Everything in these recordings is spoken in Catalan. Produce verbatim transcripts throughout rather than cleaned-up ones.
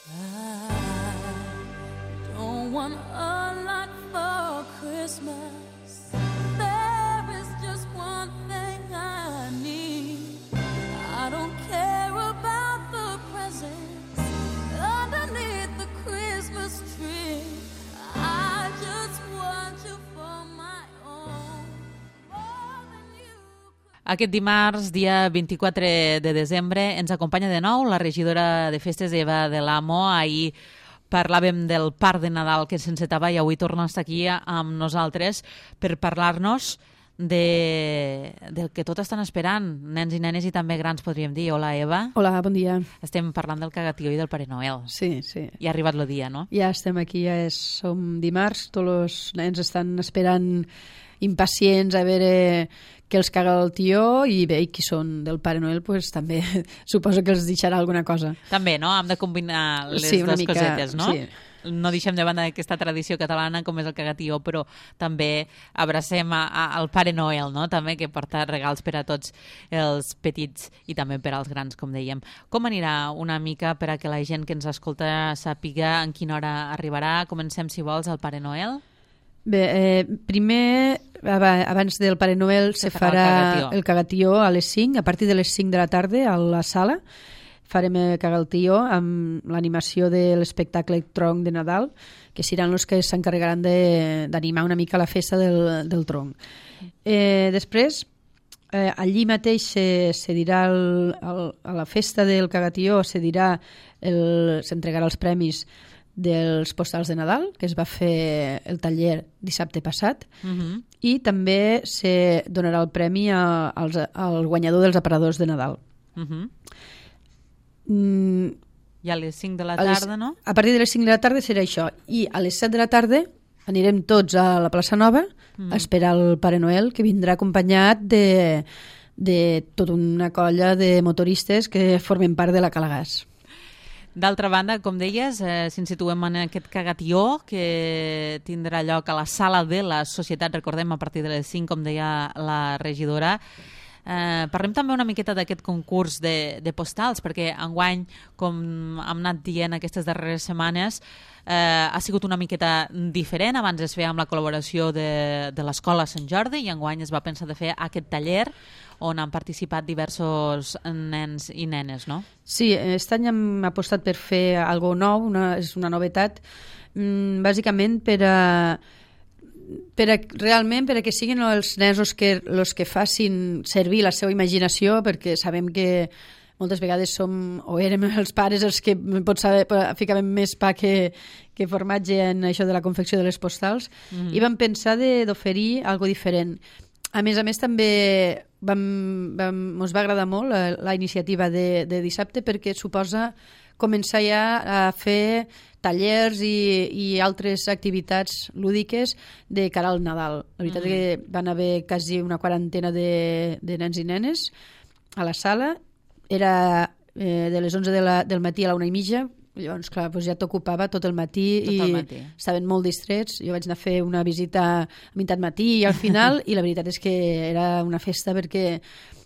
I don't want a lot for Christmas. There is just one thing I need. I don't care about the presents underneath the Christmas tree. I just want you for my own, more than you could. Aquest dimarts, dia vint-i-quatre de desembre, ens acompanya de nou la regidora de Festes, Eva de l'Amo. Ahir parlàvem del parc de Nadal que s'encetava i avui torna a estar aquí amb nosaltres per parlar-nos de, del que tot estan esperant, nens i nenes i també grans, podríem dir. Hola, Eva. Hola, bon dia. Estem parlant del cagatió i del Pare Noel. Sí, sí. Ja ha arribat el dia, no? Ja estem aquí, ja és, som dimarts, tots els nens estan esperant impacients a veure què els caga el tió i bé, i qui són del Pare Noel, pues, també suposo que els deixarà alguna cosa. També, no? Hem de combinar les Sí, una dues mica, cosetes, no? sí. No deixem de banda aquesta tradició catalana com és el cagatió, però també abracem a, a, al Pare Noel, no? També, que porta regals per a tots els petits i també per als grans, com dèiem. Com anirà una mica per a que la gent que ens escolta sàpiga en quina hora arribarà? Comencem, si vols, al Pare Noel. Bé, eh, primer, abans del Pare Noel, se, Se farà farà el cagatió. el cagatió a les cinc, a partir de les cinc de la tarda a la sala. Farem el cagatió amb l'animació de l'espectacle Tronc de Nadal, que seran els que s'encarregaran d'animar una mica la festa del, del tronc. Eh, després, eh, allí mateix se, se dirà el, el, a la festa del cagatió se dirà el, s'entregarà els premis dels postals de Nadal, que es va fer el taller dissabte passat, Uh-huh. i també se donarà el premi a, als, al guanyador dels aparadors de Nadal. Uh-huh. Mm, I a les cinc de la a les- tarda, no? A partir de les cinc de la tarda serà això. I a les set de la tarda anirem tots a la plaça Nova Mm. a esperar el Pare Noel, que vindrà acompanyat de, de tota una colla de motoristes que formen part de la Calagàs. D'altra banda, com deies, eh, si ens situem en aquest cagatió que tindrà lloc a la sala de la Societat, recordem, a partir de les cinc, com deia la regidora. Eh, parlem també una miqueta d'aquest concurs de, de postals, perquè enguany, com hem anat dient aquestes darreres setmanes, eh, ha sigut una miqueta diferent. Abans es feia amb la col·laboració de, de l'Escola Sant Jordi i enguany es va pensar de fer aquest taller on han participat diversos nens i nenes, no? Sí, aquest any hem apostat per fer algo nou, una, és una novetat, mm, bàsicament per a, per a, realment per a que siguin els nens els que, els que facin servir la seva imaginació, perquè sabem que moltes vegades som, o érem els pares els que pot saber, ficàvem més pa que, que formatge en això de la confecció de les postals, mm-hmm. i vam pensar de- d'oferir algo diferent. A més a més, també vam, vam, ens va agradar molt la, la iniciativa de, de dissabte, perquè suposa començar ja a fer tallers i, i altres activitats lúdiques de cara al Nadal. La veritat mm. és que van haver quasi una quarantena de, de nens i nenes a la sala. Era eh, de les onze de la, del matí a la una i mitja. Llavors, clar, doncs ja t'ocupava tot el matí Tot i el matí. estaven molt distrets. Jo vaig anar a fer una visita a meitat matí i al final, i la veritat és que era una festa perquè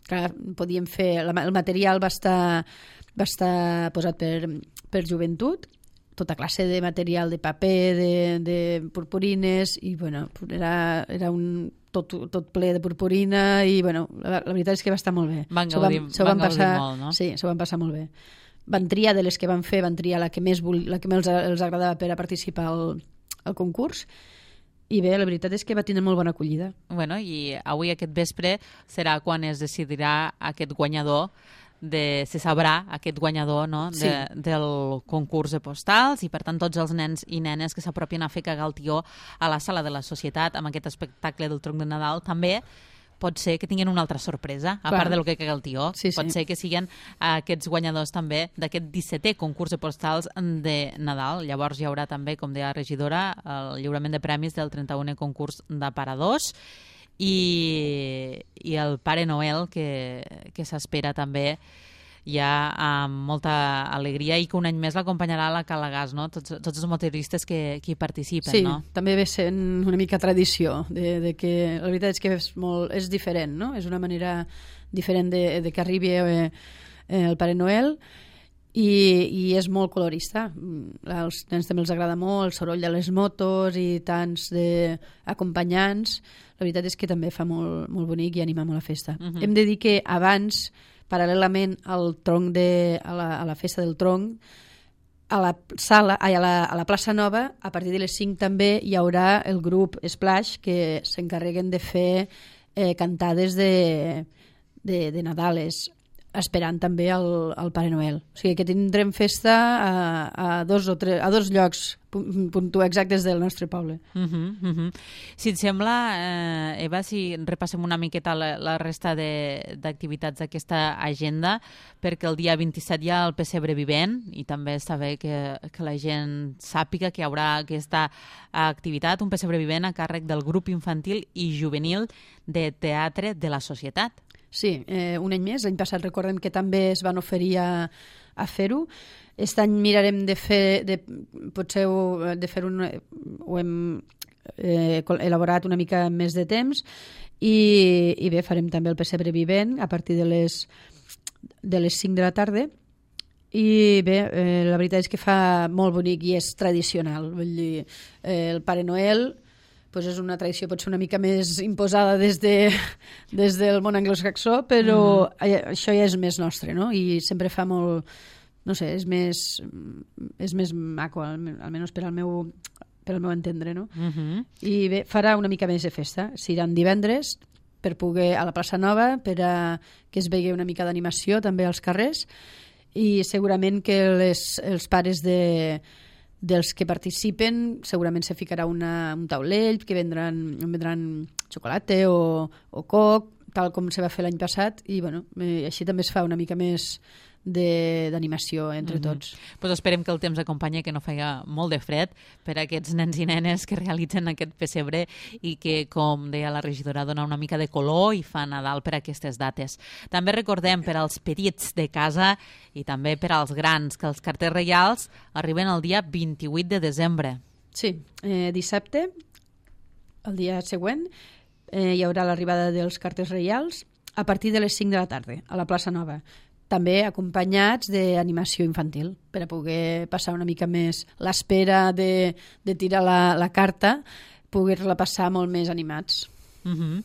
clar, podíem fer... La, el material va estar, va estar posat per, per joventut, tota classe de material de paper, de, de purpurines, i bueno, era, era un, tot, tot ple de purpurina i bueno, la, la veritat és que va estar molt bé. Van S'ho gaudir- s'ho van gaudir passar, molt, no? Sí, s'ho van passar molt bé. Van triar de les que van fer, van triar la que més, vol, la que més els, els agradava per a participar al, al concurs, i bé, la veritat és que va tenir molt bona acollida. Bueno, i avui aquest vespre serà quan es decidirà aquest guanyador, de, se sabrà aquest guanyador, no? de, Sí. del concurs de postals, i per tant tots els nens i nenes que s'apropien a fer cagar el tió a la sala de la Societat amb aquest espectacle del tronc de Nadal també pot ser que tinguin una altra sorpresa, a Clar. part del que caga el tió. Sí, sí. Pot ser que siguin aquests guanyadors també d'aquest dissetè concurs de postals de Nadal. Llavors hi haurà també, com deia la regidora, el lliurament de premis del trenta-unè concurs d'aparadors i, i el Pare Noel que, que s'espera també ja amb molta alegria i que un any més l'acompanyarà a la Calagàs, no? Tots, tots els motoristes que, que hi participen, Sí, no? també ve sent una mica tradició, de, de que la veritat és que és, molt, és diferent, no? És una manera diferent de, de que arribi eh, el Pare Noel, i, i és molt colorista. Als nens també els agrada molt el soroll de les motos i tants d'acompanyants. La veritat és que també fa molt, molt bonic i anima molt la festa. Uh-huh. Hem de dir que abans, paral·lelament al tronc de, a, la, a la festa del tronc, a la sala, ai, a, la, a la plaça Nova, a partir de les cinc també hi haurà el grup Splash, que s'encarreguen de fer eh, cantades de, de, de Nadales, esperant també el, el Pare Noel. O sigui que tindrem festa a, a, dos, o tres, a dos llocs puntu exactes del nostre poble. Uh -huh, uh -huh. Si et sembla, eh, Eva, si repassem una miqueta la, la resta d'activitats d'aquesta agenda, perquè el dia vint-i-set hi ha el pessebre vivent i també està bé que, que la gent sàpiga que hi haurà aquesta activitat, un pessebre vivent a càrrec del grup infantil i juvenil de teatre de la Societat. Sí, eh, un any més. L'any passat recordem que també es van oferir a, a fer-ho. Aquest any mirarem de fer, de, potser ho, de fer un, ho hem eh, elaborat una mica més de temps i, i bé, farem també el pessebre vivent a partir de les, de les cinc de la tarda i bé, eh, la veritat és que fa molt bonic i és tradicional. Vull dir, eh, el Pare Noel pues és una tradició potser una mica més imposada des, de, des del món anglosaxó, però mm. això ja és més nostre, no? I sempre fa molt, no sé, és més, és més maco, almenys per al meu, per al meu entendre, no? Mm -hmm. I bé, farà una mica més de festa. Seran divendres per poder a la plaça Nova, per a que es vegi una mica d'animació també als carrers i segurament que les, els pares de dels que participen segurament se ficarà una, un taulell que vendran, vendran xocolata o, o coc, tal com se va fer l'any passat i bueno, eh, així també es fa una mica més d'animació entre mm -hmm. tots. Pues esperem que el temps acompanyi, que no faci molt de fred per a aquests nens i nenes que realitzen aquest pessebre i que, com deia la regidora, dona una mica de color i fa Nadal per a aquestes dates. També recordem per als petits de casa i també per als grans que els carters reials arriben el dia vint-i-vuit de desembre. Sí, eh, dissabte, el dia següent, eh, hi haurà l'arribada dels carters reials a partir de les cinc de la tarda a la plaça Nova, també acompanyats d'animació infantil, per a poder passar una mica més l'espera de, de tirar la, la carta, poder-la passar molt més animats. Uh -huh.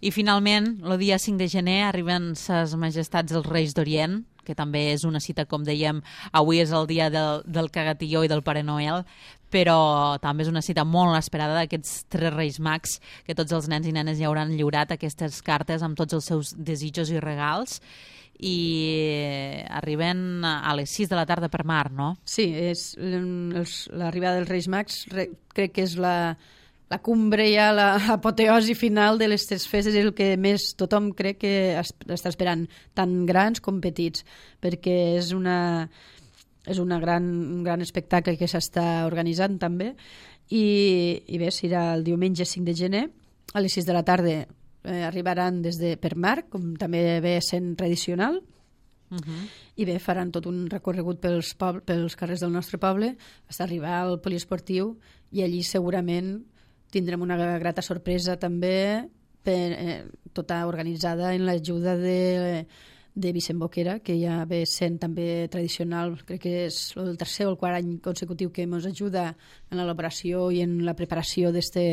I finalment, el dia cinc de gener arriben ses majestats dels Reis d'Orient, que també és una cita, com dèiem, avui és el dia del, del cagatilló i del Pare Noel, però també és una cita molt esperada d'aquests tres Reis Mags, que tots els nens i nenes ja hauran lliurat aquestes cartes amb tots els seus desitjos i regals, i arriben a les sis de la tarda per mar, no? Sí, és l'arribada dels Reis Mags, re, crec que és la, la cumbre ja, l'apoteosi final de les tres festes, és el que més tothom crec que està esperant, tant grans com petits, perquè és una, és una gran, un gran espectacle que s'està organitzant també, i, i bé, serà el diumenge cinc de gener, a les sis de la tarda. Eh, arribaran des de per mar, com també ve sent tradicional, uh -huh. i bé, faran tot un recorregut pels, poble, pels carrers del nostre poble fins a arribar al poliesportiu i allí segurament tindrem una grata sorpresa també per, eh, tota organitzada en l'ajuda de, de Vicent Boquera, que ja ve sent també tradicional, crec que és el tercer o el quart any consecutiu que ens ajuda en l'elaboració i en la preparació d'este...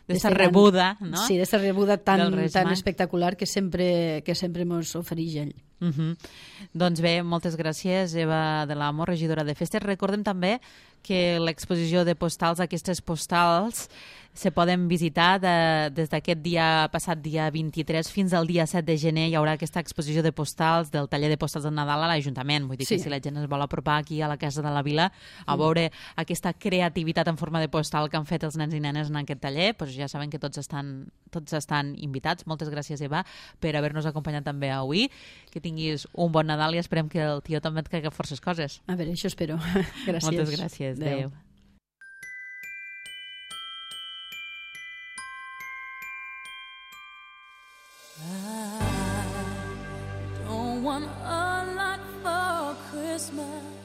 D'esta rebuda, no? Sí, d'esta rebuda tan, tan espectacular que sempre, que sempre ens ofereix ell. Uh -huh. Doncs bé, moltes gràcies, Eva de l'Amo, regidora de Festes. Recordem també que l'exposició de postals, aquestes postals, se poden visitar de, des d'aquest dia passat, dia vint-i-tres, fins al dia set de gener. Hi haurà aquesta exposició de postals del taller de postals de Nadal a l'Ajuntament. Vull dir sí. que si la gent es vol apropar aquí a la Casa de la Vila a veure aquesta creativitat en forma de postal que han fet els nens i nenes en aquest taller, doncs ja saben que tots estan, tots estan invitats. Moltes gràcies, Eva, per haver-nos acompanyat també avui. Que tinguis un bon Nadal i esperem que el tio també et caigui forces coses. A veure, això espero. Gràcies. Moltes gràcies. Adéu. Adéu. I don't want a lot for Christmas.